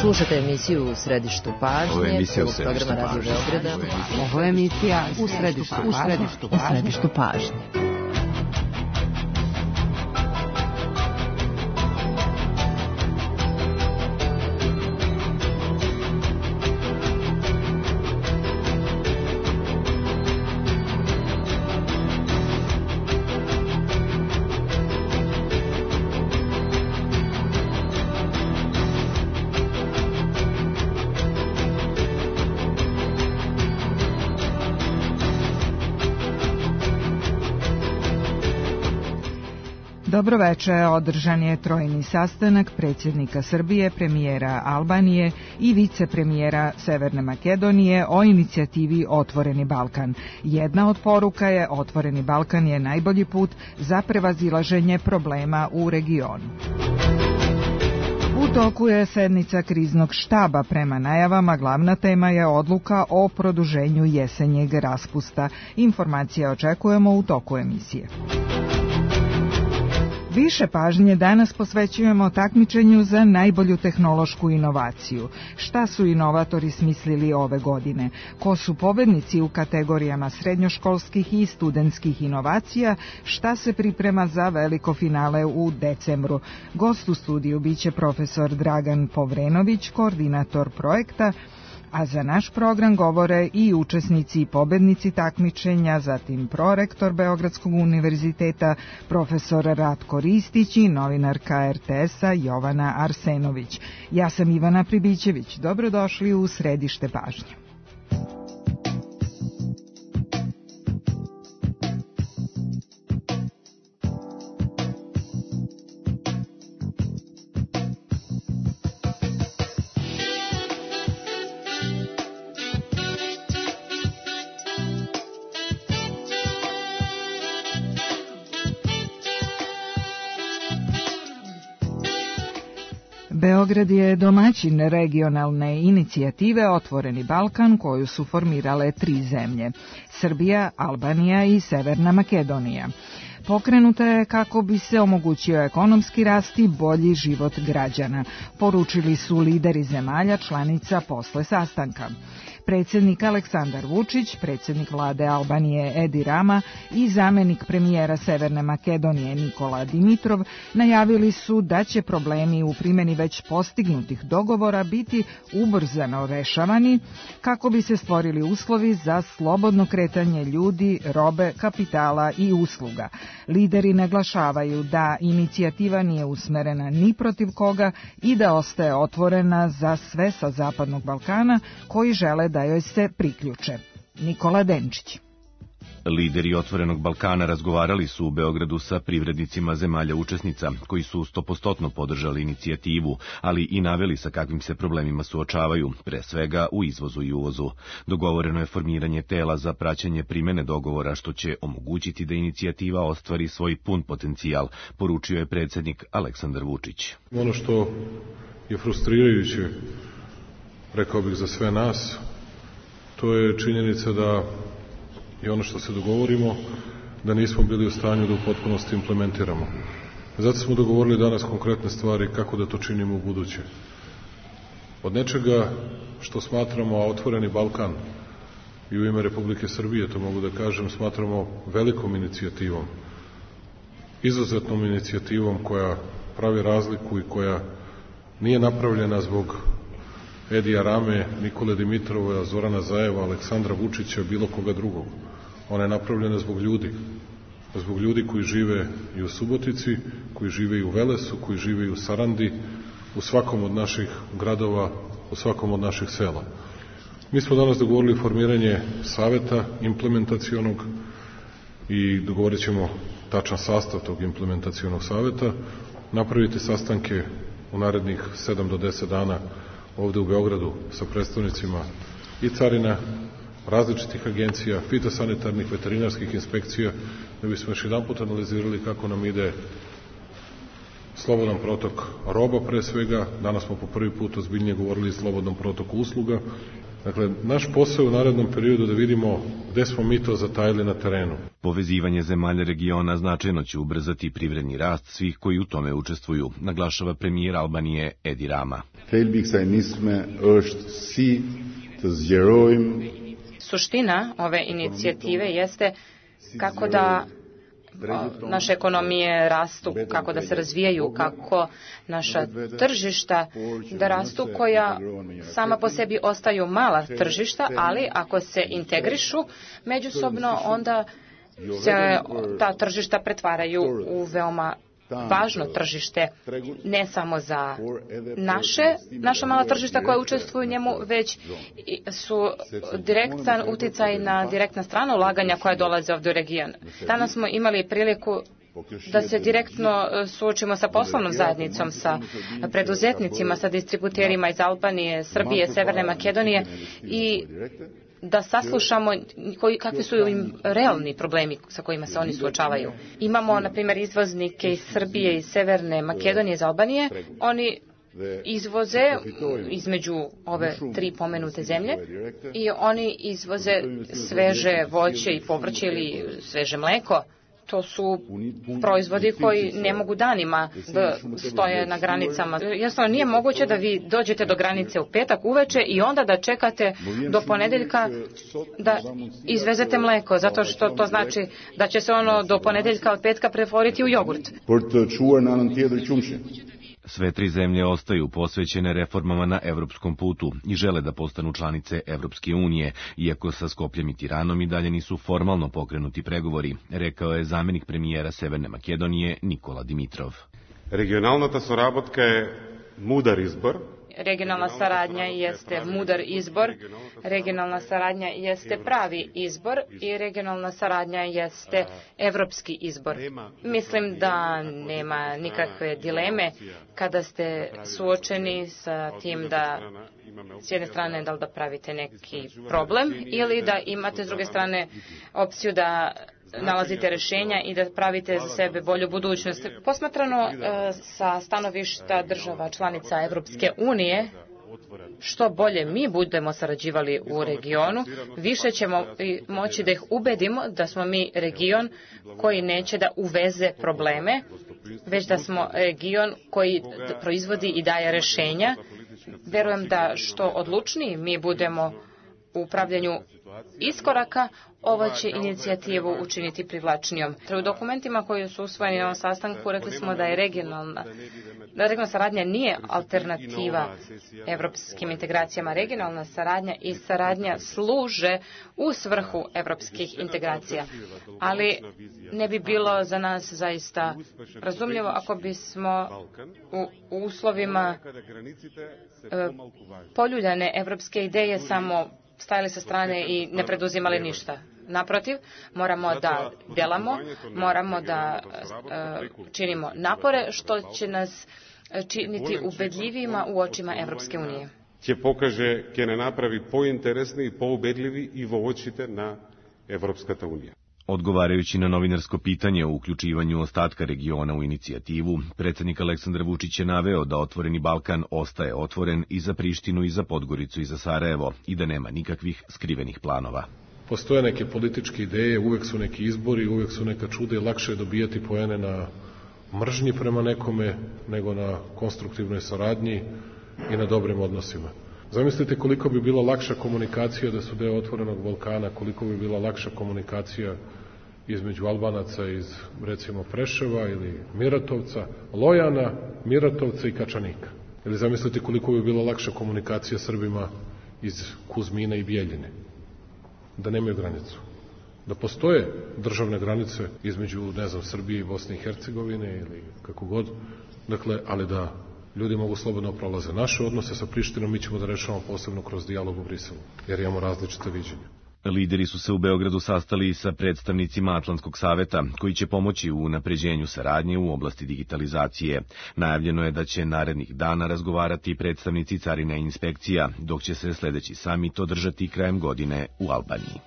Slušate emisiju U središtu pažnje, programa Radio Beograda. Ovo je emisija U središtu pažnje. Dobroveče, održan je trojni sastanak predsjednika Srbije, premijera Albanije i vicepremijera Severne Makedonije o inicijativi Otvoreni Balkan. Jedna od poruka je Otvoreni Balkan je najbolji put za prevazilaženje problema u regionu. U toku je sednica kriznog štaba. Prema najavama glavna tema je odluka o produženju jesenjeg raspusta. Informacije očekujemo u toku emisije. Više pažnje danas posvećujemo takmičenju za najbolju tehnološku inovaciju. Šta su inovatori smislili ove godine? Ko su pobednici u kategorijama srednjoškolskih i studentskih inovacija? Šta se priprema za veliko finale u decembru? Gost u studiju biće profesor Dragan Povrenović, koordinator projekta, a za naš program govore i učesnici i pobednici takmičenja, zatim prorektor Beogradskog univerziteta, profesor Ratko Ristić i novinarka RTS-a Jovana Arsenović. Ja sam Ivana Pribićević. Dobrodošli u središte pažnje. Beograd je domaćin regionalne inicijative Otvoreni Balkan koju su formirale 3 zemlje, Srbija, Albanija i Severna Makedonija. Pokrenuta je kako bi se omogućio ekonomski rast i bolji život građana, poručili su lideri zemalja članica posle sastanka. Predsjednik Aleksandar Vučić, predsjednik vlade Albanije Edi Rama i zamenik premijera Severne Makedonije Nikola Dimitrov najavili su da će problemi u primjeni već postignutih dogovora biti ubrzano rešavani kako bi se stvorili uslovi za slobodno kretanje ljudi, robe, kapitala i usluga. Lideri naglašavaju da inicijativa nije usmerena ni protiv koga i da ostaje otvorena za sve sa Zapadnog Balkana koji žele da joj se priključe. Nikola Denčić. Lideri Otvorenog Balkana razgovarali su u Beogradu sa privrednicima zemalja učesnica, koji su 100% podržali inicijativu, ali i naveli sa kakvim se problemima suočavaju, pre svega u izvozu i uvozu. Dogovoreno je formiranje tela za praćenje primene dogovora, što će omogućiti da inicijativa ostvari svoj pun potencijal, poručio je predsjednik Aleksandar Vučić. Ono što je frustrirajuće, rekao bih za sve nas, to je činjenica da i ono što se dogovorimo, da nismo bili u stanju da u potpunosti implementiramo. Zato smo dogovorili danas konkretne stvari kako da to činimo u buduće. Od nečega što smatramo Otvoreni Balkan i u ime Republike Srbije, to mogu da kažem, smatramo velikom inicijativom, izuzetnom inicijativom koja pravi razliku i koja nije napravljena zbog Edija Rame, Nikole Dimitrova, Zorana Zajeva, Aleksandra Vučića, bilo koga drugog. Ona je napravljena zbog ljudi koji žive i u Subotici, koji žive i u Velesu, koji žive i u Sarandi, u svakom od naših gradova, u svakom od naših sela. Mi smo danas dogovorili formiranje saveta implementacionog i dogovorit ćemo tačan sastav tog implementacionog saveta, napraviti sastanke u narednih 7 do 10 dana ovde u Beogradu sa predstavnicima i carina, različitih agencija, fitosanitarnih, veterinarskih inspekcija, da bismo još jedan put analizirali kako nam ide slobodan protok roba pre svega. Danas smo po prvi put ozbiljnije govorili o slobodnom protoku usluga. Dakle, naš posao u narednom periodu da vidimo gde smo mi to zatajili na terenu. Povezivanje zemalja regiona značajno će ubrzati privredni rast svih koji u tome učestvuju, naglašava premijer Albanije Edi Rama. Suština ove inicijative jeste kako da naše ekonomije rastu, kako da se razvijaju, kako naša tržišta da rastu, koja sama po sebi ostaju mala tržišta, ali ako se integrišu međusobno, onda se ta tržišta pretvaraju u veoma važno tržište, ne samo za naša mala tržišta koja učestvuju u njemu, već su direktan uticaj na direktna strana ulaganja koja dolaze ovdje u region. Danas smo imali priliku da se direktno suočimo sa poslovnom zajednicom, sa preduzetnicima, sa distributerima iz Albanije, Srbije, Severne Makedonije i da saslušamo kakvi su im realni problemi sa kojima se oni suočavaju. Imamo, na primjer, izvoznike iz Srbije, iz Severne Makedonije, iz Albanije. Oni izvoze između ove tri pomenute zemlje i oni izvoze sveže voće i povrće ili sveže mleko. To su proizvodi koji ne mogu danima da stoje na granicama. Jasno, nije moguće da vi dođete do granice u petak uveče i onda da čekate do ponedeljka da izvezete mleko, zato što to znači da će se ono do ponedeljka od petka pretvoriti u jogurt. Sve tri zemlje ostaju posvećene reformama na evropskom putu i žele da postanu članice Evropske unije, iako sa Skopljem i Tiranom i dalje nisu formalno pokrenuti pregovori, rekao je zamjenik premijera Severne Makedonije Nikola Dimitrov. Regionalната соработка je mudar izbor. Regionalna saradnja jeste mudar izbor, regionalna saradnja jeste pravi izbor i regionalna saradnja jeste evropski izbor. Mislim da nema nikakve dileme kada ste suočeni sa tim da s jedne strane da li da pravite neki problem ili da imate s druge strane opciju da nalazite rješenja i da pravite za sebe bolju budućnost. Posmatrano sa stanovišta država članica Evropske unije, što bolje mi budemo sarađivali u regionu, više ćemo moći da ih ubedimo da smo mi region koji neće da uveze probleme, već da smo region koji proizvodi i daje rješenja. Verujem da što odlučniji mi budemo u upravljanju iskoraka, ovo će inicijativu učiniti privlačnijom. U dokumentima koji su usvojeni na ovom sastanku rekli smo da je regionalna saradnja nije alternativa evropskim integracijama. Regionalna saradnja i saradnja služe u svrhu evropskih integracija. Ali ne bi bilo za nas zaista razumljivo ako bismo u uslovima poljuljane evropske ideje samo stajali sa strane i ne preduzimali ništa. Naprotiv, moramo da delamo, moramo da činimo napore, što će nas činiti ubedljivima u očima Evropske unije. Će ne napravi pointeresni, poubedljivi i vo očite na Evropskata unija. Odgovarajući na novinarsko pitanje o uključivanju ostatka regiona u inicijativu, predsjednik Aleksandar Vučić je naveo da Otvoreni Balkan ostaje otvoren i za Prištinu i za Podgoricu i za Sarajevo i da nema nikakvih skrivenih planova. Postoje neke političke ideje, uvek su neki izbori, uvek su neka čuda i lakše je dobijati poene na mržnji prema nekome nego na konstruktivnoj saradnji i na dobrim odnosima. Zamislite koliko bi bila lakša komunikacija da su deo Otvorenog Balkana, koliko bi bila lakša komunikacija između Albanaca iz, recimo, Preševa ili Miratovca, Lojana, Miratovca i Kačanika. Ili zamislite koliko bi bila lakša komunikacija Srbima iz Kuzmina i Bijeljine. Da nemaju granicu. Da postoje državne granice između, Srbije i Bosne i Hercegovine ili kako god. Dakle, ali da ljudi mogu slobodno prolaze. Naše odnose sa Prištinom mi ćemo da rešavamo posebno kroz dijalog u Briselu, jer imamo različite viđenja. Lideri su se u Beogradu sastali sa predstavnicima Atlantskog saveta, koji će pomoći u unapređenju saradnje u oblasti digitalizacije. Najavljeno je da će narednih dana razgovarati predstavnici carina i inspekcija, dok će se sledeći samit održati krajem godine u Albaniji.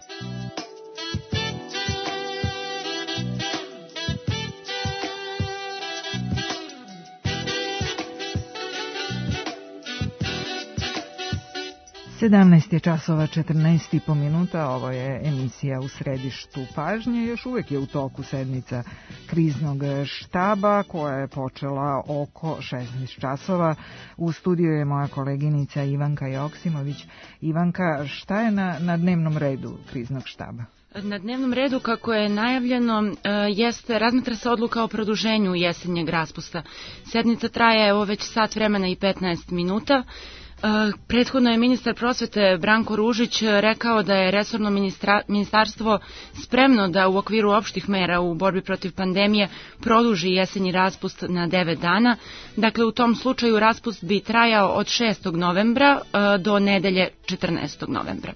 17 je časova 14,5 minuta, ovo je emisija U središtu pažnje, još uvek je u toku sednica kriznog štaba koja je počela oko 16 časova. U studiju je moja koleginica Ivanka Joksimović. Ivanka, šta je na dnevnom redu kriznog štaba? Na dnevnom redu, kako je najavljeno, razmatra se odluka o produženju jesenjeg raspusta. Sednica traje već sat vremena i 15 minuta. Prethodno je ministar prosvete Branko Ružić rekao da je resorno ministarstvo spremno da u okviru opštih mera u borbi protiv pandemije produži jesenji raspust na 9 dana. Dakle, u tom slučaju raspust bi trajao od 6. novembra do nedelje 14. novembra.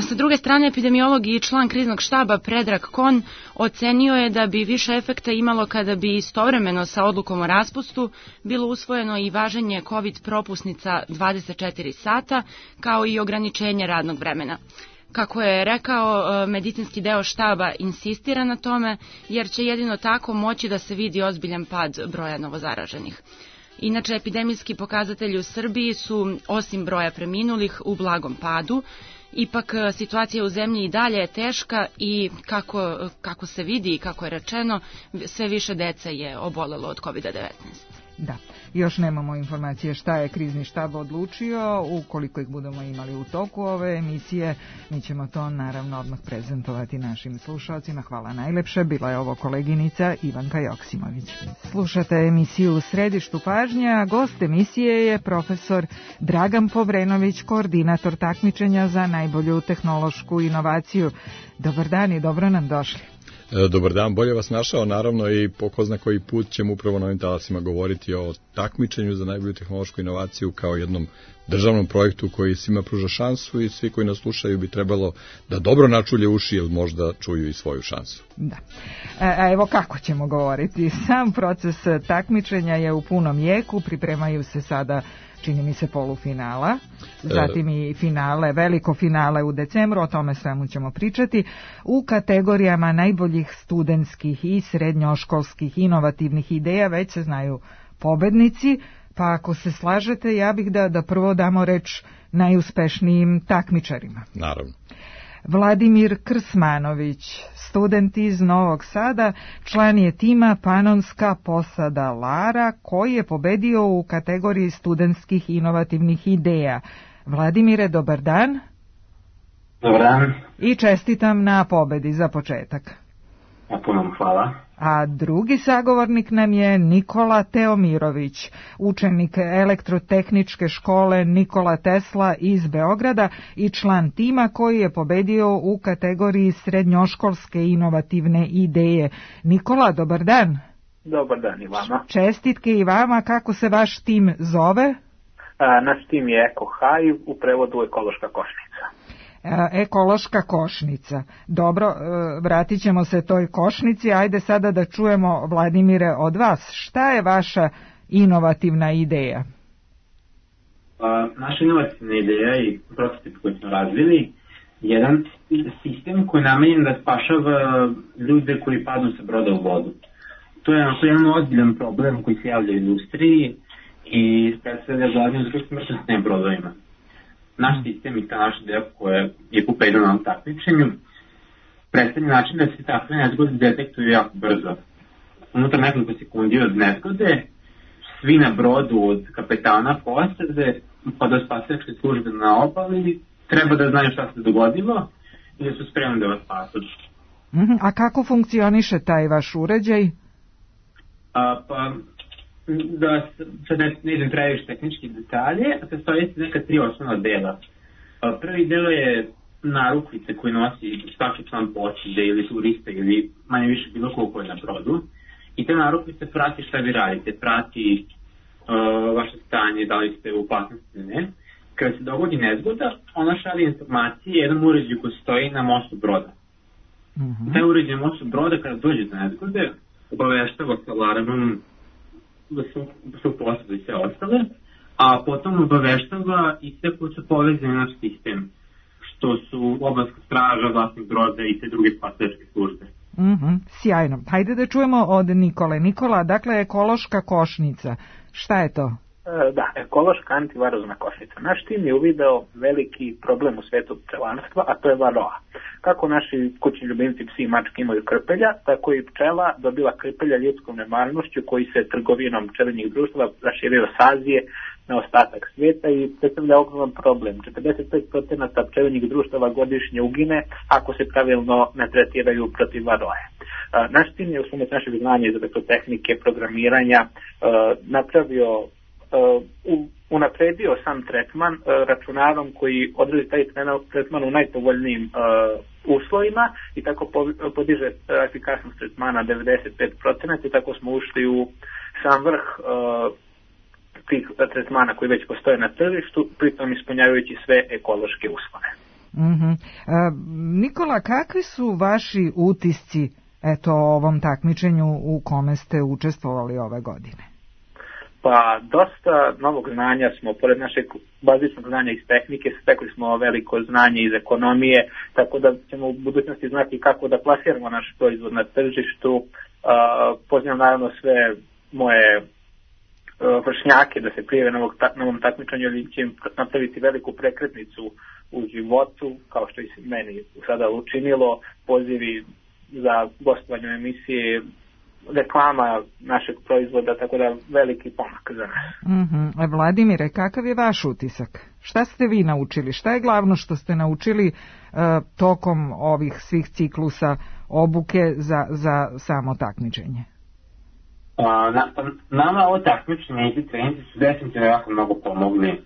Sa druge strane, epidemiolog i član kriznog štaba Predrag Kon ocenio je da bi više efekta imalo kada bi istovremeno sa odlukom o raspustu bilo usvojeno i važenje COVID propusnica 24 sata, kao i ograničenje radnog vremena. Kako je rekao, medicinski deo štaba insistira na tome, jer će jedino tako moći da se vidi ozbiljan pad broja novozaraženih. Inače, epidemijski pokazatelji u Srbiji su, osim broja preminulih, u blagom padu. Ipak, situacija u zemlji i dalje je teška i kako se vidi i kako je rečeno, sve više dece je obolelo od COVID-19. Da, još nemamo informacije šta je krizni štab odlučio. Ukoliko ih budemo imali u toku ove emisije, mi ćemo to naravno odmah prezentovati našim slušalcima. Hvala najlepše, bila je ovo koleginica Ivanka Joksimović. Slušate emisiju U središtu pažnje, a gost emisije je profesor Dragan Povrenović, koordinator takmičenja za najbolju tehnološku inovaciju. Dobar dan i dobro nam došli. Dobar dan, bolje vas našao, naravno, i po ko zna koji put ćemo upravo na ovim talasima govoriti o takmičenju za najbolju tehnološku inovaciju kao jednom državnom projektu koji svima pruža šansu i svi koji nas slušaju bi trebalo da dobro načulje uši ili možda čuju i svoju šansu. Da. A evo kako ćemo govoriti. Sam proces takmičenja je u punom jeku, pripremaju se sada, čini mi se, polufinala, zatim i finale, veliko finale u decembru, o tome svemu ćemo pričati, u kategorijama najboljih studentskih i srednjoškolskih inovativnih ideja već se znaju pobednici, pa ako se slažete, ja bih da prvo damo reč najuspešnijim takmičarima. Naravno. Vladimir Krsmanović, student iz Novog Sada, član je tima Panonska posada Lara, koji je pobedio u kategoriji studentskih inovativnih ideja. Vladimire, dobar dan. Dobar dan. I čestitam na pobedi za početak. Puno hvala. A drugi sagovornik nam je Nikola Teomirović, učenik elektrotehničke škole Nikola Tesla iz Beograda i član tima koji je pobedio u kategoriji srednjoškolske inovativne ideje. Nikola, dobar dan. Dobar dan i vama. Čestitke i vama, kako se vaš tim zove? Naš tim je Eko Haj, u prevodu ekološka košnica. Ekološka košnica. Dobro, vratit ćemo se toj košnici. Ajde sada da čujemo, Vladimire, od vas. Šta je vaša inovativna ideja? Naša inovativna ideja i prototip koji smo razvili, jedan sistem koji je namenjen da spašava ljude koji padnu sa broda u vodu. To je jedan ozbiljan problem koji se javlja u industriji i predstavlja glavni uzrok smrtnosti na brodovima. Naš sistem i ta naša ideja koja je pobedila na ovom takmičenju predstavlja način da se takve nezgode detektuju jako brzo. Unutar nekoliko sekundi od nezgode, svi na brodu od kapetana posade pa do spasilačke službe na obali treba da znaju šta se dogodilo i da su spremni da vas spasuju. A kako funkcioniše taj vaš uređaj? Da sad ne idem previše tehnički detalje, sastoji se neka 3 osnovna dela. Prvi deo je narukvice koje nosi svaki član posade ili turista ili manje više bilo koliko je na brodu. I te narukvice prati šta vi radite, prati vaše stanje, da li ste u opasnosti ili ne. Kada se dogodi nezgoda, ona šalje informacije jednom uređaju koji stoji na mostu broda. Taj uređaj na mostu broda kada dođe do nezgode, obaveštava sa alarmom da su posade i sve ostale, a potom obaveštava i sve koji su povezani na naš sistem, što su obalska straža, vlasnik broda i sve druge spasilačke službe. Sjajno. Hajde da čujemo od Nikole. Nikola, dakle, ekološka košnica. Šta je to? Da, ekološka antivarozna košnica. Naš tim je uvideo veliki problem u svetu pčelarstva, a to je varoa. Kako naši kućni ljubimci psi i mačke imaju krpelja, tako i pčela dobila krpelja ljudskom nemarnošću koji se trgovinom pčelinjih društava raširio s Azije na ostatak svijeta i predstavlja ogroman problem. 45% pčelinjih društava godišnje ugine ako se pravilno ne tretiraju protiv varoje. Naš tim je u pomoć našeg znanja iz elektrotehnike, programiranja unapredio sam tretman računarom koji odredi taj tretman u najpovoljnijim uslovima i tako podiže efikasnost tretmana 95% i tako smo ušli u sam vrh tih tretmana koji već postoje na tržištu, pritom ispunjavajući sve ekološke uslove. Nikola, kakvi su vaši utisci o ovom takmičenju u kome ste učestvovali ove godine? Pa dosta novog znanja smo, pored našeg bazičnog znanja iz tehnike, stekli smo veliko znanje iz ekonomije, tako da ćemo u budućnosti znati kako da plasiramo naš proizvod na tržištu. Pozivam naravno sve moje vršnjake da se prijave na ovom takmičenju, ili će im napraviti veliku prekretnicu u životu, kao što i meni sada učinilo, pozivi za gostovanje u emisiji, reklama našeg proizvoda, tako da veliki pomak za nas. Vladimire, kakav je vaš utisak? Šta ste vi naučili? Šta je glavno što ste naučili tokom ovih svih ciklusa obuke za samo takmičenje? Nama ovo takmičenje i treninzi su definitivno jako mnogo pomogli.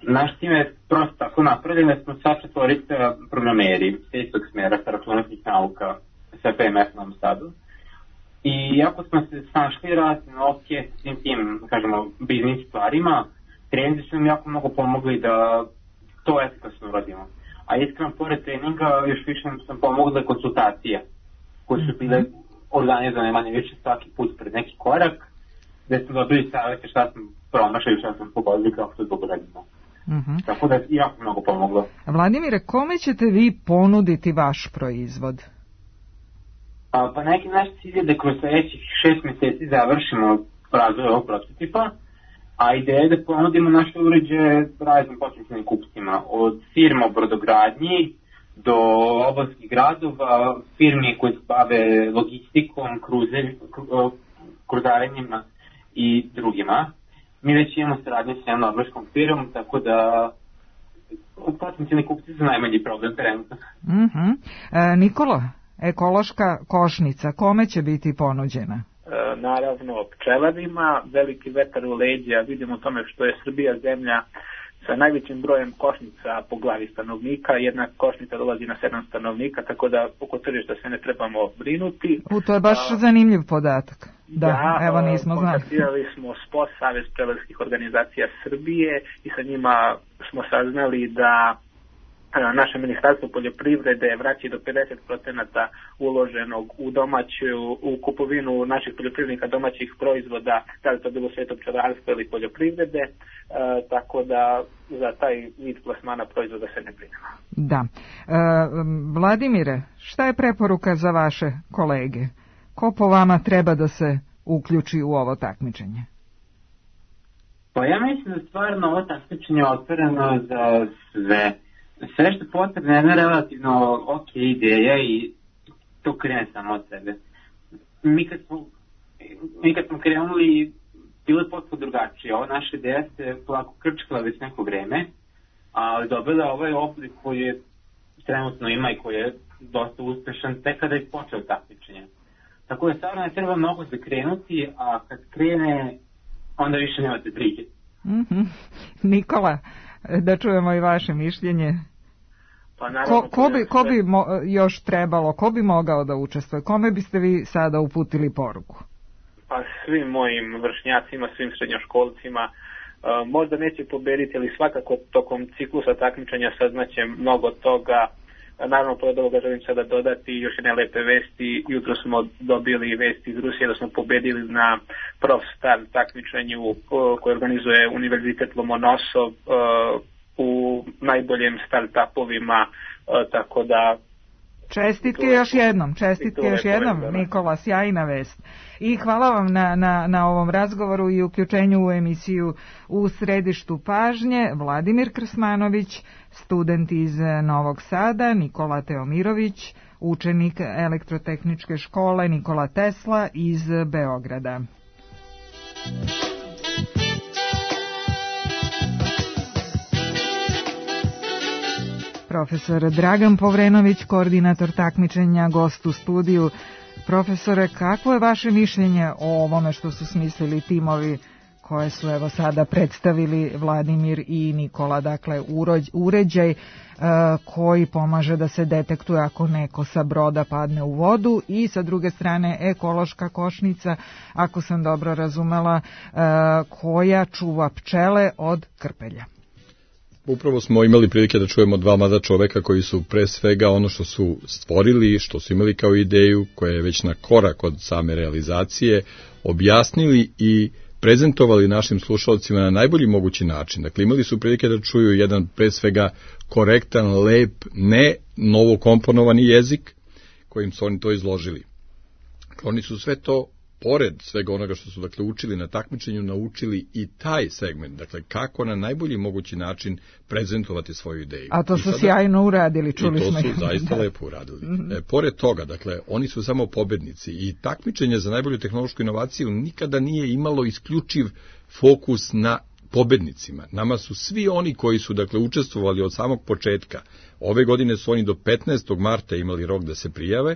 Naš tim je prosto tako napravljen da smo sva četvorica programeri sa istog smjera, sa računarskih nauka, sa PMF Novom Sadu. I ako smo se snašli razne opcije s svim tim, kažemo, biznis stvarima, treninzi su nam jako mnogo pomogli da to efikasno uradimo. A iskreno, pored treninga, još više sam pomogla konsultacije, koje su bile organizovane manje više svaki put pred neki korak, gde smo dobili savjete šta smo promašali, šta smo pogodili, kako to dobro radimo. Tako da je jako mnogo pomoglo. Vladimire, kome ćete vi ponuditi vaš proizvod? Pa neki naš cilj je da kroz sljedećih 6 mjeseci završimo razvoj ovog prototipa, a ideja je da ponudimo naše uređaje raznim potencijalnim kupcima, od firma u brodogradnji do obalskih gradova, firmi koje se bave logistikom, kruzarenjima i drugima. Mi već imamo saradnje s jednom norveškom firmom, tako da potencijalni kupci su najmanji problem trenutno. Nikola, ekološka košnica, kome će biti ponuđena? Naravno, pčelarima, veliki vetar u leđa, vidimo tome što je Srbija zemlja sa najvećim brojem košnica po glavi stanovnika, jedna košnica dolazi na 7 stanovnika, tako da oko tržišta se ne trebamo brinuti. To je baš zanimljiv podatak. Da, evo nismo znali. Kontaktirali smo SPO, Savez pčelarskih organizacija Srbije, i sa njima smo saznali da naše ministarstvo poljoprivrede vraća do 50% uloženog u kupovinu naših poljoprivrednika domaćih proizvoda, da li to bilo sveto pčelarstvo ili poljoprivrede, tako da za taj vid plasmana proizvoda se ne brinemo. Da. Vladimire, šta je preporuka za vaše kolege? Ko po vama treba da se uključi u ovo takmičenje? Pa ja mislim da stvarno ovo takmičenje je otvoreno za sve. Sve što potrebno je jedna relativno ok ideja i to krene samo od sebe. Mi kad smo krenuli, bilo je potpuno drugačije. Ova naša ideja se polako krčkala već neko vreme, ali dobila ovaj oblik koji je trenutno ima i koji je dosta uspešan tek kada je počeo takmičenje. Tako da stvarno ne treba mnogo zakrenuti, a kad krene, onda više nemate prike. Nikola, da čujemo i vaše mišljenje. Pa naravno, ko bi još trebalo, ko bi mogao da učestvuje? Kome biste vi sada uputili poruku? Pa svim mojim vršnjacima, svim srednjoškolcima. Možda neće pobediti, ali svakako tokom ciklusa takmičenja saznaće mnogo toga. Naravno, pored ovoga želim sada dodati još jedne lepe vesti. Jutro smo dobili vesti iz Rusije da smo pobedili na Prof Star takmičenju koje organizuje Univerzitet Lomonosov u najboljim startupovima, tako da Čestitke još jednom, Nikola, sjajna vest. I hvala vam na ovom razgovoru i uključenju u emisiju U središtu pažnje. Vladimir Krsmanović, student iz Novog Sada, Nikola Teomirović, učenik Elektrotehničke škole Nikola Tesla iz Beograda. Profesor Dragan Povrenović, koordinator takmičenja, gost u studiju. Profesore, kakvo je vaše mišljenje o ovome što su smislili timovi koje su evo sada predstavili Vladimir i Nikola, dakle uređaj koji pomaže da se detektuje ako neko sa broda padne u vodu i sa druge strane ekološka košnica, ako sam dobro razumela, koja čuva pčele od krpelja. Upravo smo imali prilike da čujemo dva mlada čoveka koji su pre svega ono što su stvorili, što su imali kao ideju, koja je već na korak od same realizacije, objasnili i prezentovali našim slušalcima na najbolji mogući način. Dakle, imali su prilike da čuju jedan pre svega korektan, lep, ne novokomponovani jezik kojim su oni to izložili. Oni su sve to, pored svega onoga što su dakle učili na takmičenju, naučili i taj segment, dakle kako na najbolji mogući način prezentovati svoju ideju. A to su sjajno uradili, čuli smo. I to su zaista lepo uradili. Pored toga, dakle, oni su samo pobednici i takmičenje za najbolju tehnološku inovaciju nikada nije imalo isključiv fokus na pobednicima. Nama su svi oni koji su dakle učestvovali od samog početka. Ove godine su oni do 15. marta imali rok da se prijave.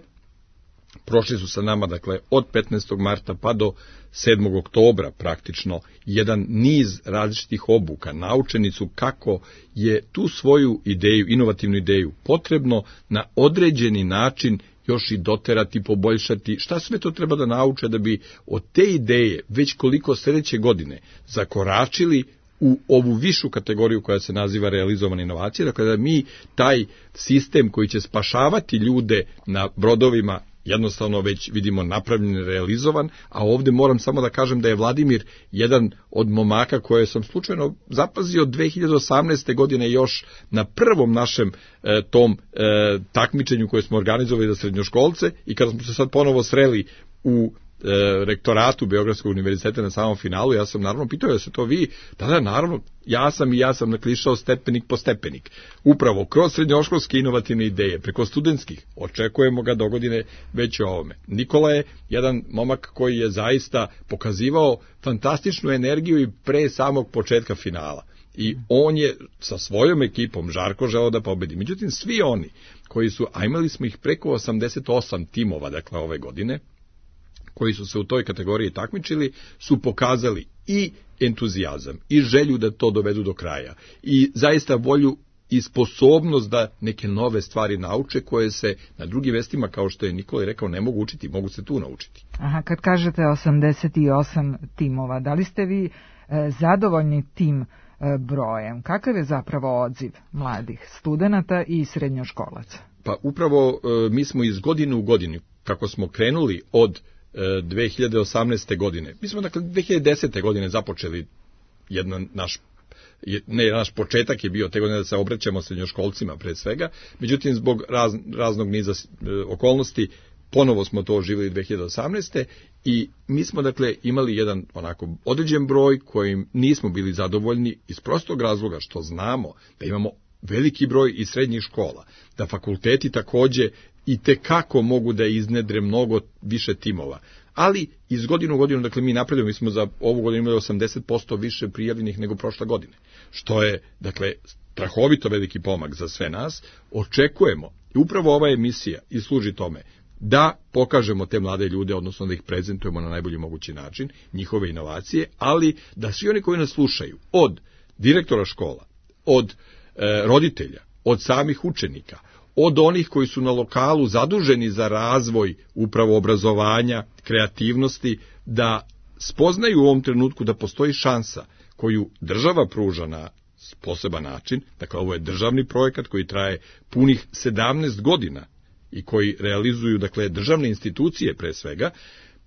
Prošli su sa nama, dakle, od 15. marta pa do 7. oktobra praktično jedan niz različitih obuka. Naučeni su kako je tu svoju ideju, inovativnu ideju, potrebno na određeni način još i doterati, poboljšati. Šta sve to treba da nauče da bi od te ideje već koliko sljedeće godine zakoračili u ovu višu kategoriju koja se naziva realizovana inovacija. Dakle, da mi taj sistem koji će spašavati ljude na brodovima jednostavno već vidimo napravljen, realizovan, a ovdje moram samo da kažem da je Vladimir jedan od momaka koje sam slučajno zapazio 2018. godine još na prvom našem tom takmičenju koje smo organizovali za srednjoškolce i kada smo se sad ponovo sreli u rektoratu Beogradskog univerziteta na samom finalu, ja sam naravno pitao da se to vi, da naravno, ja sam naklišao stepenik po stepenik. Upravo kroz srednjoškolske inovativne ideje, preko studentskih, očekujemo ga do godine već o ovome. Nikola je jedan momak koji je zaista pokazivao fantastičnu energiju i pre samog početka finala. I on je sa svojom ekipom žarko želeo da pobedi. Međutim, svi oni koji su, a imali smo ih preko 88 timova, dakle ove godine, koji su se u toj kategoriji takmičili, su pokazali i entuzijazam, i želju da to dovedu do kraja, i zaista volju i sposobnost da neke nove stvari nauče, koje se na drugim mestima, kao što je Nikola rekao, ne mogu učiti, mogu se tu naučiti. Aha, kad kažete 88 timova, da li ste vi zadovoljni tim brojem? Kakav je zapravo odziv mladih studenata i srednjoškolaca? Pa upravo mi smo iz godine u godinu, kako smo krenuli od 2018. godine. Mi smo dakle 2010. godine započeli naš početak je bio te godine da se obraćamo srednjoškolcima pre svega, međutim zbog raznog niza okolnosti ponovo smo to oživili 2018. i mi smo dakle imali jedan onako određen broj kojim nismo bili zadovoljni iz prostog razloga što znamo da imamo veliki broj i srednjih škola, da fakulteti takođe i tekako mogu da iznedre mnogo više timova. Ali iz godine u godinu, dakle mi napredujemo, mi smo za ovu godinu imali 80% više prijavljenih nego prošle godine, što je, dakle, strahovito veliki pomak za sve nas. Očekujemo, i upravo ova emisija i služi tome, da pokažemo te mlade ljude, odnosno da ih prezentujemo na najbolji mogući način, njihove inovacije, ali da svi oni koji nas slušaju, od direktora škola, od roditelja, od samih učenika, od onih koji su na lokalu zaduženi za razvoj upravo obrazovanja, kreativnosti, da spoznaju u ovom trenutku da postoji šansa koju država pruža na poseban način. Dakle, ovo je državni projekat koji traje punih 17 godina i koji realizuju, dakle, državne institucije pre svega,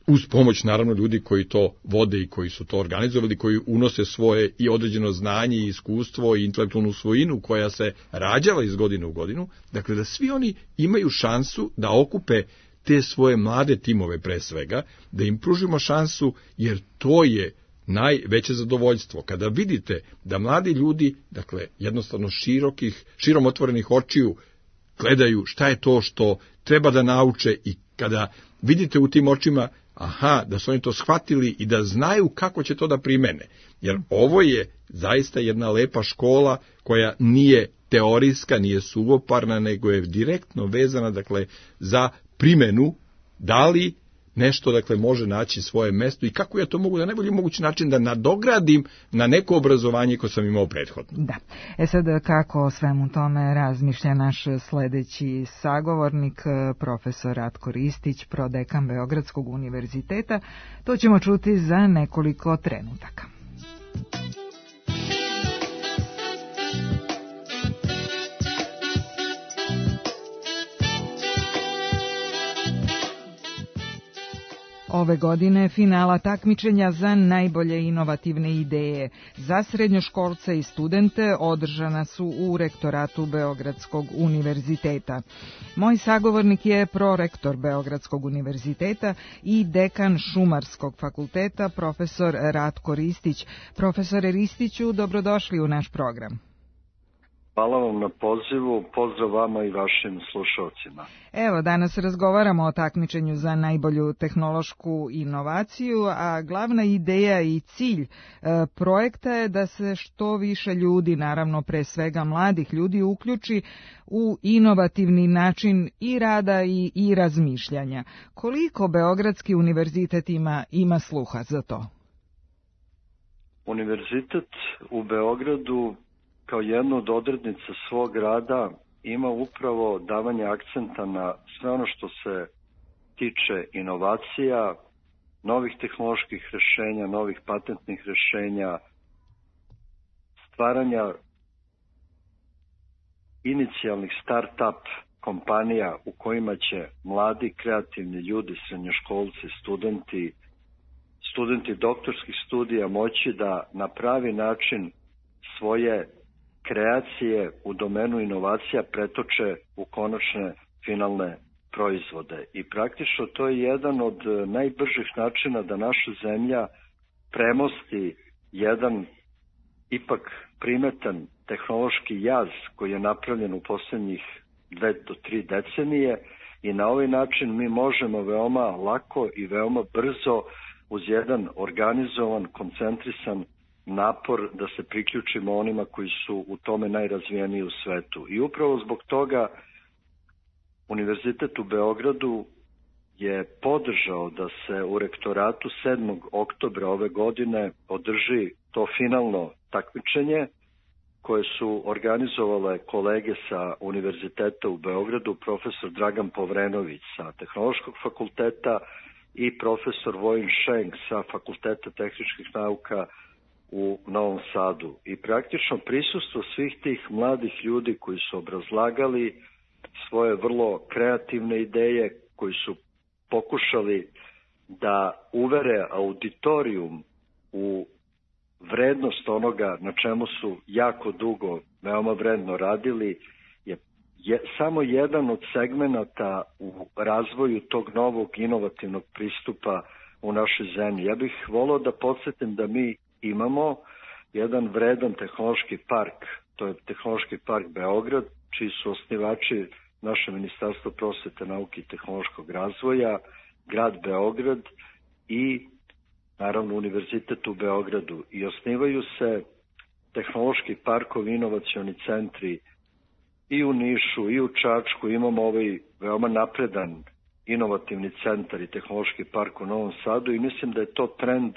uz pomoć naravno ljudi koji to vode i koji su to organizovali, koji unose svoje i određeno znanje i iskustvo i intelektualnu svojinu koja se rađala iz godine u godinu, dakle da svi oni imaju šansu da okupe te svoje mlade timove pre svega, da im pružimo šansu, jer to je najveće zadovoljstvo. Kada vidite da mladi ljudi, dakle jednostavno širom otvorenih očiju gledaju šta je to što treba da nauče i kada vidite u tim očima da su oni to shvatili i da znaju kako će to da primene. Jer ovo je zaista jedna lepa škola koja nije teorijska, nije suvoparna, nego je direktno vezana dakle za primenu, da li nešto dakle može naći svoje mesto i kako ja to mogu na najbolji mogući način da nadogradim na neko obrazovanje koje sam imao prethodno. Da. Sad kako o svemu tome razmišlja naš sledeći sagovornik, profesor Ratko Ristić, prodekan Beogradskog univerziteta, to ćemo čuti za nekoliko trenutaka. Ove godine finala takmičenja za najbolje inovativne ideje za srednjoškolce i studente održana su u rektoratu Beogradskog univerziteta. Moj sagovornik je prorektor Beogradskog univerziteta i dekan Šumarskog fakulteta, profesor Ratko Ristić. Profesore Ristiću, dobrodošli u naš program. Hvala vam na pozivu, pozdrav vama i vašim slušalcima. Evo, danas razgovaramo o takmičenju za najbolju tehnološku inovaciju, a glavna ideja i cilj projekta je da se što više ljudi, naravno pre svega mladih ljudi, uključi u inovativni način i rada i razmišljanja. Koliko Beogradski univerzitet ima sluha za to? Univerzitet u Beogradu kao jednu od odrednica svog rada ima upravo davanje akcenta na sve ono što se tiče inovacija, novih tehnoloških rešenja, novih patentnih rešenja, stvaranja inicijalnih start-up kompanija u kojima će mladi kreativni ljudi, srednjoškolci, studenti doktorskih studija moći da na pravi način svoje kreacije u domenu inovacija pretoče u konačne finalne proizvode. I praktično to je jedan od najbržih načina da naša zemlja premosti jedan ipak primetan tehnološki jaz koji je napravljen u poslednjih 2 do 3 decenije i na ovaj način mi možemo veoma lako i veoma brzo uz jedan organizovan, koncentrisan napor da se priključimo onima koji su u tome najrazvijeniji u svetu. I upravo zbog toga Univerzitet u Beogradu je podržao da se u rektoratu 7. oktobra ove godine održi to finalno takmičenje koje su organizovale kolege sa Univerziteta u Beogradu, profesor Dragan Povrenović sa Tehnološkog fakulteta i profesor Vojin Šenk sa Fakulteta tehničkih nauka u Novom Sadu. I praktično prisustvo svih tih mladih ljudi koji su obrazlagali svoje vrlo kreativne ideje, koji su pokušali da uvere auditorijum u vrednost onoga na čemu su jako dugo, veoma vredno radili, je samo jedan od segmenata u razvoju tog novog inovativnog pristupa u našoj zemlji. Ja bih volao da podsjetim da mi imamo jedan vredan tehnološki park, to je Tehnološki park Beograd, čiji su osnivači naše Ministarstvo prosvete, nauke i tehnološkog razvoja, grad Beograd i naravno Univerzitet u Beogradu. I osnivaju se tehnološki parkovi, inovacioni centri i u Nišu i u Čačku. Imamo ovaj veoma napredan inovativni centar i tehnološki park u Novom Sadu i mislim da je to trend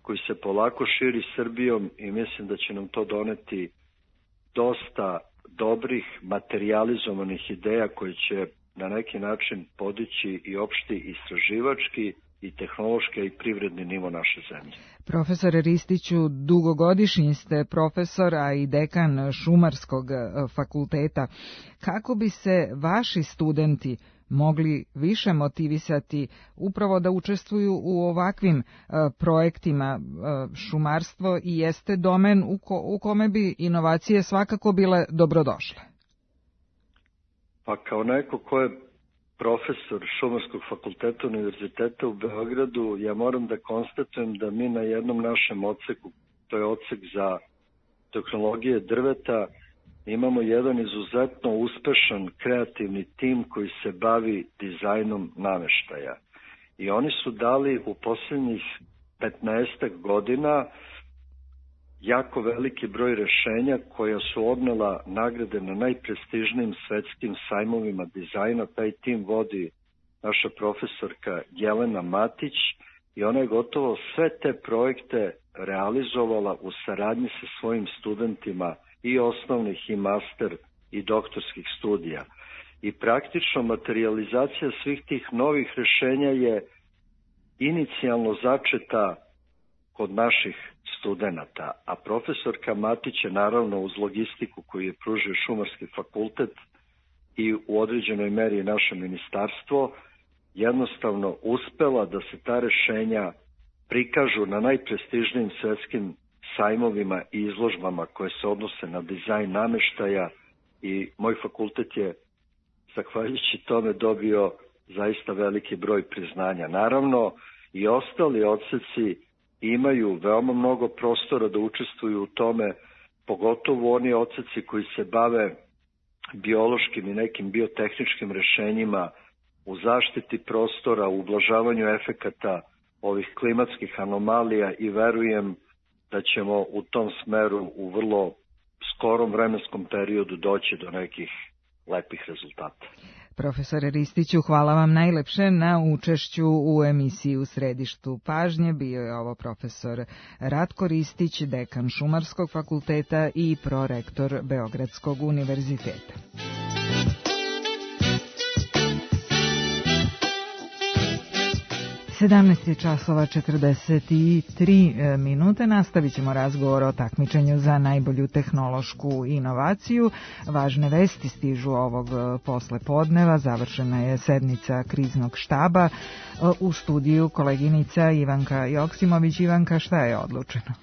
koji se polako širi Srbijom i mislim da će nam to doneti dosta dobrih materijalizovanih ideja koje će na neki način podići i opšti istraživački i tehnološki i privredni nivo naše zemlje. Profesore Ristiću, dugogodišnji ste profesor, a i dekan Šumarskog fakulteta. Kako bi se vaši studenti mogli više motivisati upravo da učestvuju u ovakvim projektima. Šumarstvo i jeste domen u kome bi inovacije svakako bile dobrodošle. Pa kao neko ko je profesor Šumarskog fakulteta Univerziteta u Beogradu, ja moram da konstatujem da mi na jednom našem odseku, to je odsek za tehnologije drveta, imamo jedan izuzetno uspešan kreativni tim koji se bavi dizajnom nameštaja. I oni su dali u posljednjih 15 godina jako veliki broj rešenja koja su odnela nagrade na najprestižnijim svetskim sajmovima dizajna. Taj tim vodi naša profesorka Jelena Matić i ona je gotovo sve te projekte realizovala u saradnji sa svojim studentima i osnovnih i master i doktorskih studija. I praktično materializacija svih tih novih rešenja je inicijalno začeta kod naših studenata, a profesorka Matić je naravno uz logistiku koju je pružio Šumarski fakultet i u određenoj meri naše ministarstvo jednostavno uspela da se ta rešenja prikažu na najprestižnijim svetskim sajmovima i izložbama koje se odnose na dizajn nameštaja i moj fakultet je zahvaljujući tome dobio zaista veliki broj priznanja. Naravno i ostali odseci imaju veoma mnogo prostora da učestvuju u tome, pogotovo oni odseci koji se bave biološkim i nekim biotehničkim rešenjima u zaštiti prostora, u ublažavanju efekata ovih klimatskih anomalija i verujem da ćemo u tom smeru u vrlo skorom vremenskom periodu doći do nekih lepih rezultata. Profesore Ristiću, hvala vam najlepše na učešću u emisiji U središtu pažnje. Bio je ovo profesor Ratko Ristić, dekan Šumarskog fakulteta i prorektor Beogradskog univerziteta. 17:43. Nastavit ćemo razgovor o takmičenju za najbolju tehnološku inovaciju. Važne vesti stižu ovog poslepodneva. Završena je sednica kriznog štaba. U studiju koleginica Ivanka Joksimović. Ivanka, šta je odlučeno?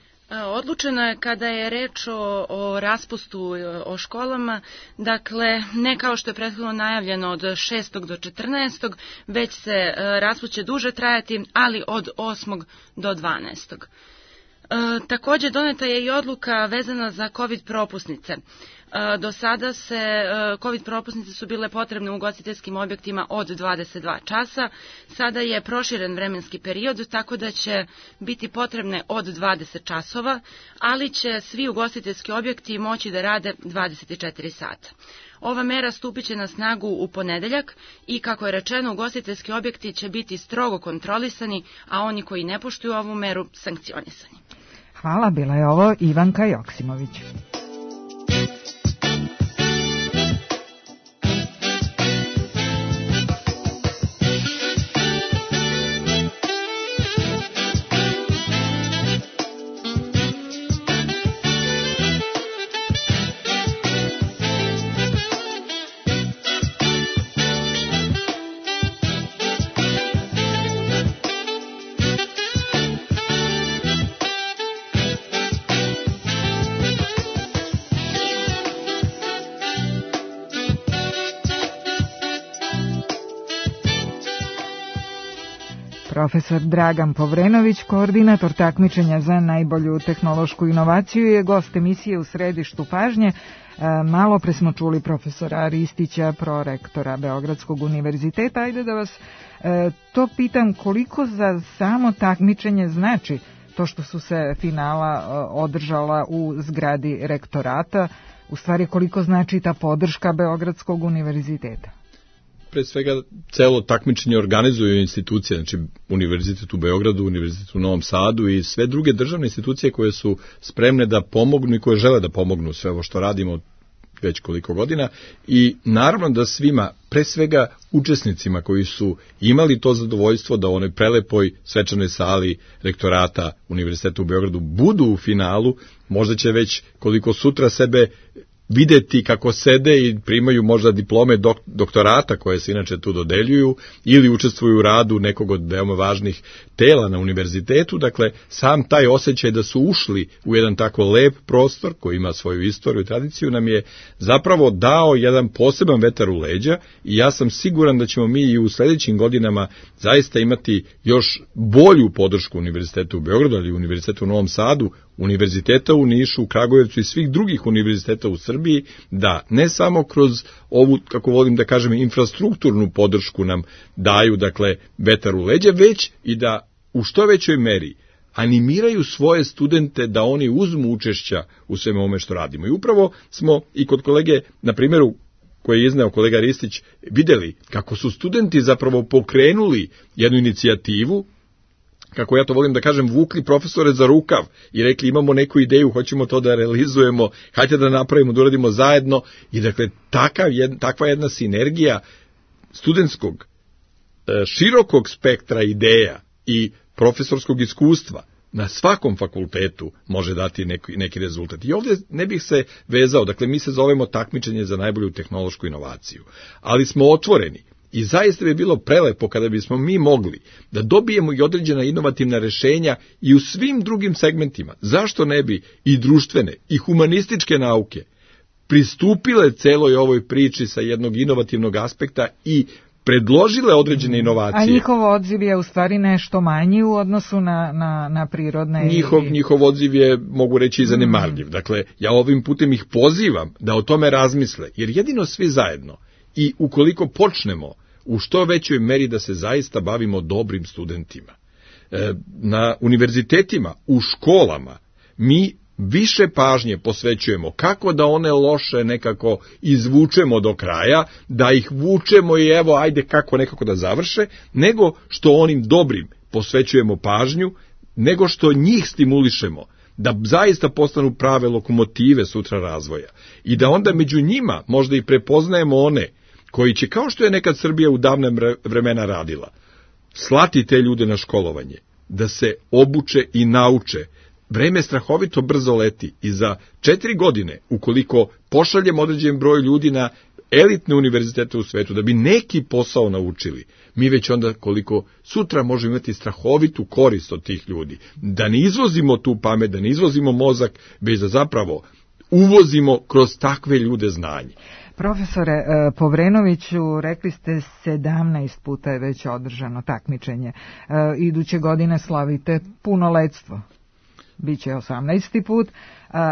Odlučeno je kada je reč o raspustu o školama, dakle ne kao što je prethodno najavljeno od 6. do 14. već se raspust će duže trajati, ali od 8. do 12. Također doneta je i odluka vezana za COVID propusnice. Do sada COVID propusnice su bile potrebne u ugostiteljskim objektima od 22 časa. Sada je proširen vremenski period, tako da će biti potrebne od 20 časova, ali će svi ugostiteljski objekti moći da rade 24 sata. Ova mera stupit će na snagu u ponedeljak i, kako je rečeno, ugostiteljski objekti će biti strogo kontrolisani, a oni koji ne poštuju ovu meru sankcionisani. Hvala, bila je ovo Ivanka Joksimović. Profesor Dragan Povrenović, koordinator takmičenja za najbolju tehnološku inovaciju, je gost emisije U središtu pažnje. Malo pre smo čuli profesora Ristića, prorektora Beogradskog univerziteta. Ajde da vas to pitam, koliko za samo takmičenje znači to što su se finala održala u zgradi rektorata, u stvari koliko znači ta podrška Beogradskog univerziteta? Pre svega, celo takmičenje organizuju institucije, znači Univerzitet u Beogradu, Univerzitet u Novom Sadu i sve druge državne institucije koje su spremne da pomognu i koje žele da pomognu sve ovo što radimo već koliko godina. I naravno da svima, pre svega učesnicima koji su imali to zadovoljstvo da u onoj prelepoj svečanoj sali rektorata Univerziteta u Beogradu budu u finalu, možda će već koliko sutra sebe videti kako sede i primaju možda diplome doktorata koje se inače tu dodeljuju ili učestvuju u radu nekog od veoma važnih tela na univerzitetu. Dakle, sam taj osjećaj da su ušli u jedan tako lep prostor koji ima svoju istoriju i tradiciju nam je zapravo dao jedan poseban vetar u leđa i ja sam siguran da ćemo mi i u sljedećim godinama zaista imati još bolju podršku Univerziteta u Beogradu, ali i Univerziteta u Novom Sadu, Univerziteta u Nišu, u Kragujevcu i svih drugih univerziteta u Srbiji, da ne samo kroz ovu, kako volim da kažem, infrastrukturnu podršku nam daju, dakle, vetar u leđa, već i da u što većoj meri animiraju svoje studente da oni uzmu učešća u svemu ovome što radimo. I upravo smo i kod kolege, na primjeru koje je izneo kolega Ristić, vidjeli kako su studenti zapravo pokrenuli jednu inicijativu, kako ja to volim da kažem, vukli profesore za rukav i rekli imamo neku ideju, hoćemo to da realizujemo, hajde da napravimo, da uradimo zajedno. I dakle, takva jedna sinergija studentskog, širokog spektra ideja i profesorskog iskustva na svakom fakultetu može dati neki rezultat. I ovdje ne bih se vezao, dakle mi se zovemo takmičenje za najbolju tehnološku inovaciju, ali smo otvoreni. I zaista bi bilo prelepo kada bismo mi mogli da dobijemo i određena inovativna rješenja i u svim drugim segmentima. Zašto ne bi i društvene i humanističke nauke pristupile celoj ovoj priči sa jednog inovativnog aspekta i predložile određene inovacije. A njihov odziv je u stvari nešto manji u odnosu na prirodne... Njihov odziv je, mogu reći, zanemarljiv. Dakle, ja ovim putem ih pozivam da o tome razmisle, jer jedino svi zajedno i ukoliko počnemo u što većoj meri da se zaista bavimo dobrim studentima, na univerzitetima, u školama, mi više pažnje posvećujemo kako da one loše nekako izvučemo do kraja, da ih vučemo i evo ajde kako nekako da završe, nego što onim dobrim posvećujemo pažnju, nego što njih stimulišemo da zaista postanu prave lokomotive sutra razvoja i da onda među njima možda i prepoznajemo one koji će, kao što je nekad Srbija u davne vremena radila, slati te ljude na školovanje, da se obuče i nauče. Vreme strahovito brzo leti i za 4 godine, ukoliko pošaljemo određen broj ljudi na elitne univerzitete u svetu, da bi neki posao naučili, mi već onda koliko sutra možemo imati strahovitu korist od tih ljudi. Da ne izvozimo tu pamet, da ne izvozimo mozak, već da zapravo uvozimo kroz takve ljude znanje. Profesore Povrenoviću, rekli ste 17 puta je već održano takmičenje. Iduće godine slavite punoletstvo. Biće 18. put,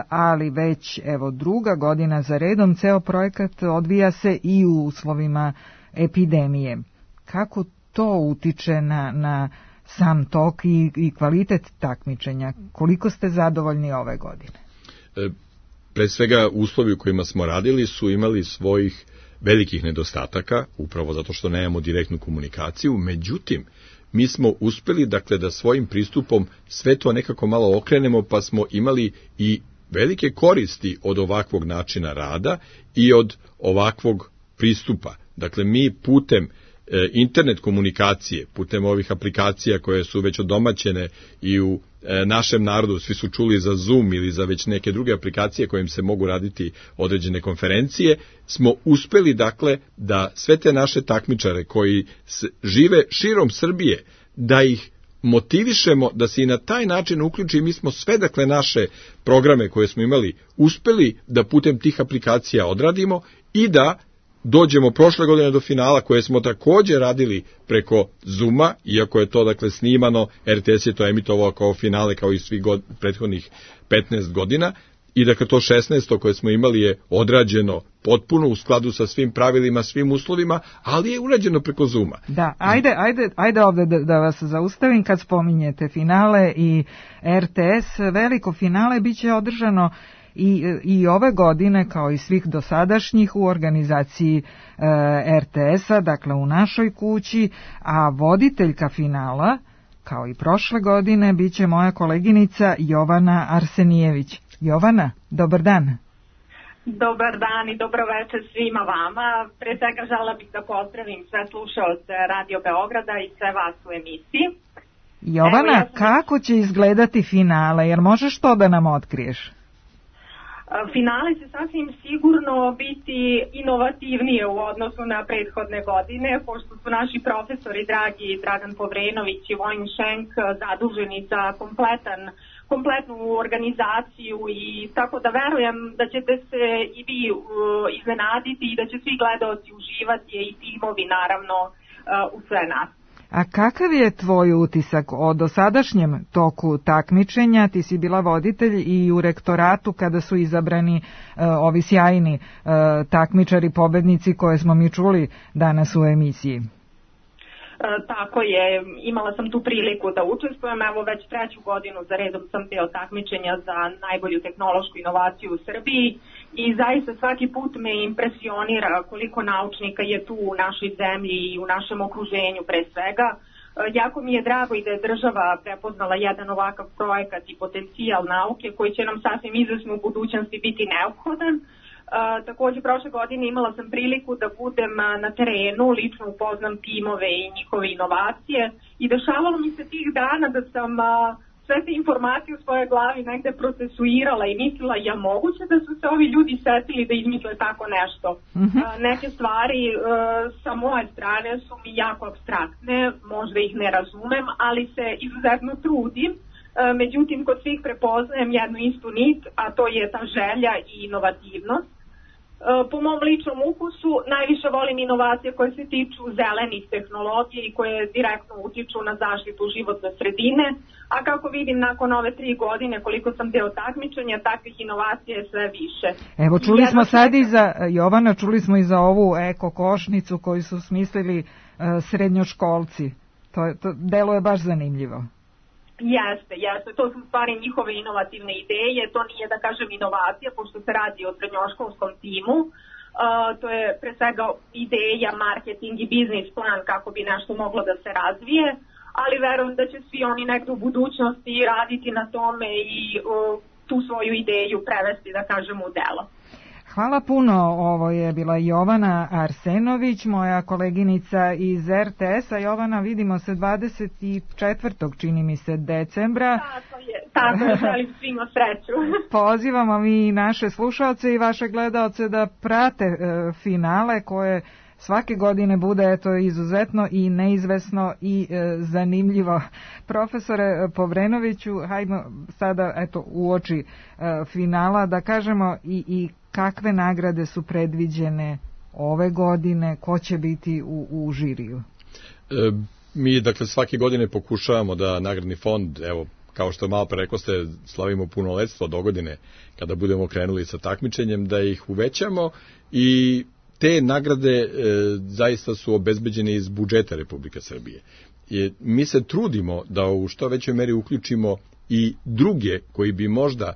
ali već evo druga godina za redom ceo projekat odvija se i u uslovima epidemije. Kako to utiče na sam tok i kvalitet takmičenja? Koliko ste zadovoljni ove godine? Pre svega, uslovi u kojima smo radili su imali svojih velikih nedostataka, upravo zato što nemamo direktnu komunikaciju, međutim, mi smo uspeli, dakle, da svojim pristupom sve to nekako malo okrenemo, pa smo imali i velike koristi od ovakvog načina rada i od ovakvog pristupa. Dakle, mi putem internet komunikacije, putem ovih aplikacija koje su već odomaćene i u našem narodu, svi su čuli za Zoom ili za već neke druge aplikacije kojim se mogu raditi određene konferencije, smo uspeli, dakle, da sve te naše takmičare koji žive širom Srbije, da ih motivišemo da se i na taj način uključi. Mi smo sve, dakle, naše programe koje smo imali uspeli da putem tih aplikacija odradimo i da dođemo prošle godine do finala koje smo također radili preko Zooma, iako je to, dakle, snimano, RTS je to emitovao kao finale kao i svih prethodnih 15 godina i dakle to 16. koje smo imali je odrađeno potpuno u skladu sa svim pravilima, svim uslovima, ali je urađeno preko Zooma. Da, ajde ovdje da vas zaustavim kad spominjete finale i RTS, veliko finale bit će održano i ove godine kao i svih dosadašnjih u organizaciji RTS-a, dakle u našoj kući, a voditeljka finala, kao i prošle godine, bit će moja koleginica Jovana Arsenijević. Jovana, dobar dan. Dobar dan i dobro večer svima vama. Pre svega žela bih da pozdravim sve slušaoce Radio Beograda i sve vas u emisiji. Jovana, kako će izgledati finale, jer možeš to da nam otkriješ? Finale će sasvim sigurno biti inovativnije u odnosu na prethodne godine, pošto su naši profesori dragi Dragan Povrenović i Vojin Šenk zaduženi za kompletnu organizaciju, i tako da verujem da ćete se i vi iznenaditi i da će svi gledaoci uživati i timovi naravno u sve nas. A kakav je tvoj utisak o dosadašnjem toku takmičenja? Ti si bila voditelj i u rektoratu kada su izabrani ovi sjajni takmičari, pobednici koje smo mi čuli danas u emisiji. Tako je, imala sam tu priliku da učestvujem, evo već 3. godinu za redom sam deo takmičenja za najbolju tehnološku inovaciju u Srbiji i zaista svaki put me impresionira koliko naučnika je tu u našoj zemlji i u našem okruženju pre svega. Jako mi je drago i da je država prepoznala jedan ovakav projekat i potencijal nauke koji će nam sasvim izvesno u budućnosti biti neophodan. Takođe, prošle godine imala sam priliku da budem na terenu, lično upoznam timove i njihove inovacije i dešavalo mi se tih dana da sam sve te informacije u svojoj glavi negde procesuirala i mislila ja moguće da su se ovi ljudi setili da izmisle tako nešto. Neke stvari sa moje strane su mi jako apstraktne, možda ih ne razumem, ali se izuzetno trudim. Međutim, kod svih prepoznajem jednu istu nit, a to je ta želja i inovativnost. Po mom ličnom ukusu najviše volim inovacije koje se tiču zelenih tehnologija i koje direktno utiču na zaštitu životne sredine, a kako vidim nakon ove 3 godine koliko sam deo takmičenja, takvih inovacija je sve više. Evo čuli smo sad i za, Jovana, čuli smo i za ovu eko košnicu koju su smislili srednjoškolci. To deluje baš zanimljivo. Jeste, to su stvari njihove inovativne ideje, to nije da kažem inovacija, pošto se radi o srednjoškolskom timu, to je pre svega ideja, marketing i biznis plan kako bi nešto moglo da se razvije, ali verujem da će svi oni nekdo u budućnosti raditi na tome i tu svoju ideju prevesti, da kažem, u delo. Hvala puno, ovo je bila Jovana Arsenović, moja koleginica iz RTS-a. Jovana, vidimo se 24. čini mi se decembra. Tako je, želim svima sreću. Pozivamo mi naše slušaoce i vaše gledaoce da prate finale koje svake godine bude izuzetno i neizvesno i zanimljivo. Profesore Povrenoviću, hajmo sada uoči finala da kažemo i kakve nagrade su predviđene ove godine, ko će biti u žiriju? Mi, dakle, svake godine pokušavamo da nagradni fond, evo, kao što malo pre rekoste, slavimo punoletstvo do godine, kada budemo krenuli sa takmičenjem, da ih uvećamo i te nagrade zaista su obezbeđene iz budžeta Republike Srbije. Mi se trudimo da u što većoj meri uključimo i druge koji bi možda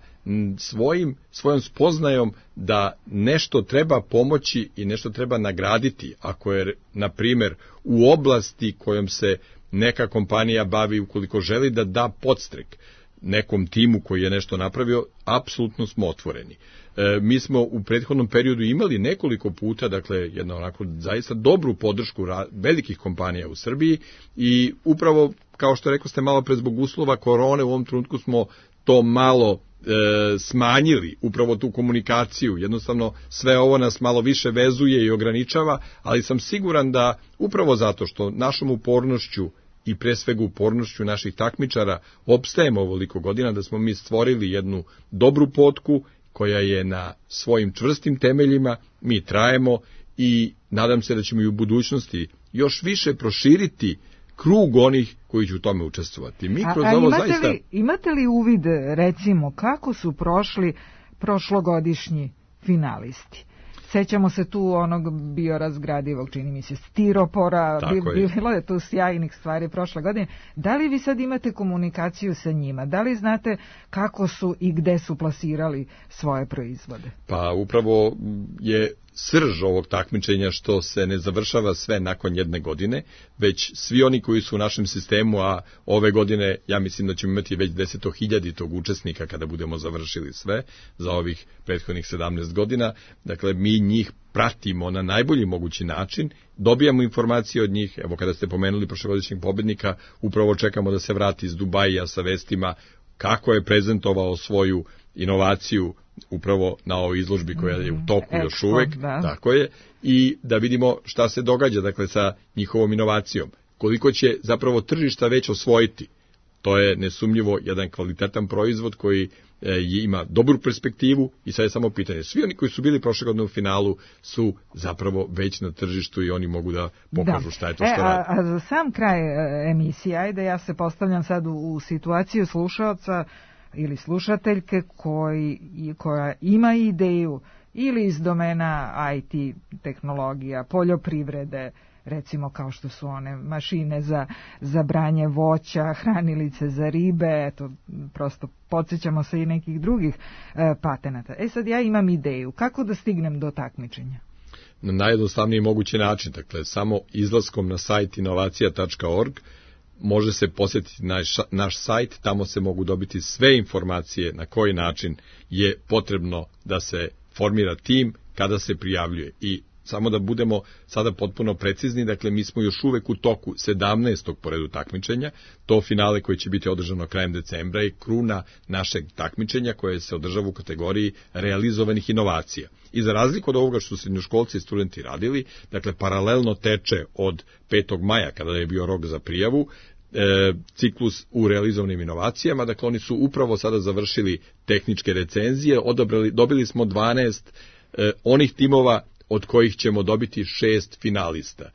svojom spoznajom da nešto treba pomoći i nešto treba nagraditi, ako je, na primjer, u oblasti kojom se neka kompanija bavi, ukoliko želi da da podstrek nekom timu koji je nešto napravio, apsolutno smo otvoreni. Mi smo u prethodnom periodu imali nekoliko puta, dakle, jednu onako zaista dobru podršku velikih kompanija u Srbiji i upravo, kao što rekao ste malo pre, zbog uslova korone u ovom trenutku smo to malo smanjili, upravo tu komunikaciju. Jednostavno sve ovo nas malo više vezuje i ograničava, ali sam siguran da upravo zato što našom upornošću i pre svega upornošću naših takmičara opstajemo ovoliko godina, da smo mi stvorili jednu dobru potku koja je na svojim čvrstim temeljima, mi trajemo i nadam se da ćemo i u budućnosti još više proširiti krug onih koji će u tome učestvovati. Mi kroz ovo zaista... Imate li uvid, recimo, kako su prošli prošlogodišnji finalisti? Sećamo se tu onog biorazgradivog, čini mi se, stiropora, bilo je tu sjajnih stvari prošle godine. Da li vi sad imate komunikaciju sa njima? Da li znate kako su i gde su plasirali svoje proizvode? Pa upravo je srž ovog takmičenja što se ne završava sve nakon jedne godine, već svi oni koji su u našem sistemu, a ove godine ja mislim da ćemo imati već 10.000 učesnika kada budemo završili sve za ovih prethodnih 17 godina. Dakle, mi njih pratimo na najbolji mogući način, dobijamo informacije od njih. Evo, kada ste pomenuli prošlogodišnjeg pobednika, upravo čekamo da se vrati iz Dubaija sa vestima kako je prezentovao svoju inovaciju upravo na ovoj izložbi koja je u toku još uvek, tako je, i da vidimo šta se događa, dakle, sa njihovom inovacijom. Koliko će zapravo tržišta već osvojiti. To je nesumnjivo jedan kvalitetan proizvod koji ima dobru perspektivu i sad je samo pitanje. Svi oni koji su bili prošle godine u finalu su zapravo već na tržištu i oni mogu da pokažu šta je to što radi. A za sam kraj emisije, ajde, ja se postavljam sad u situaciju slušaoca ili slušateljke koja ima ideju ili iz domena IT tehnologija, poljoprivrede, recimo kao što su one mašine za branje voća, hranilice za ribe, eto, prosto podsjećamo se i nekih drugih patenata. Sad ja imam ideju, kako da stignem do takmičenja? Na najjednostavniji mogući način, dakle, samo izlaskom na sajt inovacija.org može se posjetiti naš sajt, tamo se mogu dobiti sve informacije na koji način je potrebno da se formira tim kada se prijavljuje. I samo da budemo sada potpuno precizni, dakle mi smo još uvek u toku 17. po redu takmičenja, to finale koje će biti održano krajem decembra i kruna našeg takmičenja koje se održava u kategoriji realizovanih inovacija. I za razliku od ovoga što su srednjoškolci i studenti radili, dakle paralelno teče od 5. maja kada je bio rok za prijavu, ciklus u realizovanim inovacijama, dakle oni su upravo sada završili tehničke recenzije, dobili smo 12 onih timova od kojih ćemo dobiti 6 finalista.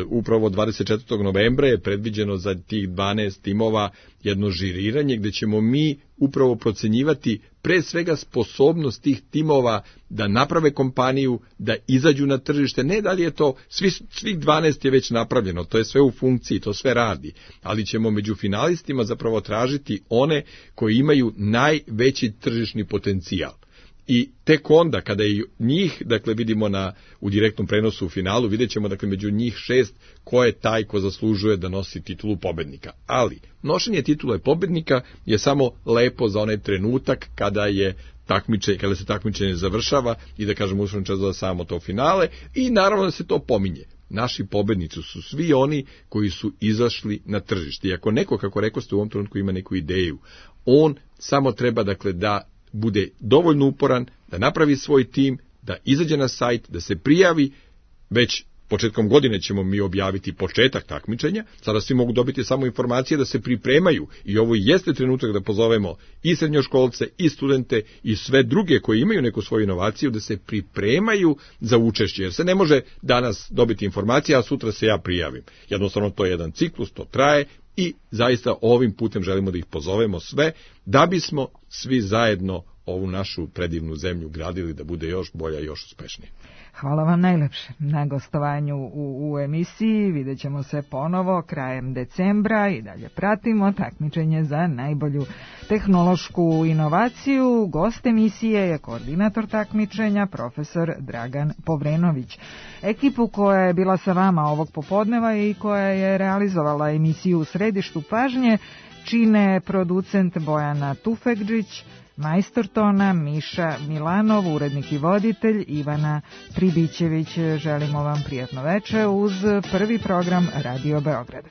Upravo 24. novembra je predviđeno za tih 12 timova jedno žiriranje gdje ćemo mi upravo procenjivati pre svega sposobnost tih timova da naprave kompaniju, da izađu na tržište. Ne da li je to, svih 12 je već napravljeno, to je sve u funkciji, to sve radi, ali ćemo među finalistima zapravo tražiti one koji imaju najveći tržišni potencijal. I tek onda, kada i njih, dakle, vidimo u direktnom prenosu u finalu, vidjet ćemo, dakle, među njih 6 ko je taj ko zaslužuje da nosi titulu pobednika. Ali, nošenje titule pobednika je samo lepo za onaj trenutak kada se takmičenje završava i da kažemo uslovno čas samo to finale i naravno da se to pominje. Naši pobednici su svi oni koji su izašli na tržište. I ako neko, kako rekoste, u ovom trenutku ima neku ideju, on samo treba, dakle, da bude dovoljno uporan, da napravi svoj tim, da izađe na sajt, da se prijavi. Već početkom godine ćemo mi objaviti početak takmičenja, sada svi mogu dobiti samo informacije da se pripremaju i ovo jeste trenutak da pozovemo i srednjoškolce i studente i sve druge koji imaju neku svoju inovaciju da se pripremaju za učešće, jer se ne može danas dobiti informacija, a sutra se ja prijavim. Jednostavno to je jedan ciklus, to traje i zaista ovim putem želimo da ih pozovemo sve da bismo svi zajedno ovu našu predivnu zemlju gradili da bude još bolja i još uspešnija. Hvala vam najlepše na gostovanju u emisiji. Vidjet ćemo se ponovo krajem decembra i dalje pratimo takmičenje za najbolju tehnološku inovaciju. Gost emisije je koordinator takmičenja, profesor Dragan Povrenović. Ekipu koja je bila sa vama ovog popodneva i koja je realizovala emisiju U središtu pažnje čine producent Bojana Tufekđić, majstor tona Miša Milanov, urednik i voditelj Ivana Pribićević. Želimo vam prijatno veče uz prvi program Radio Beograda.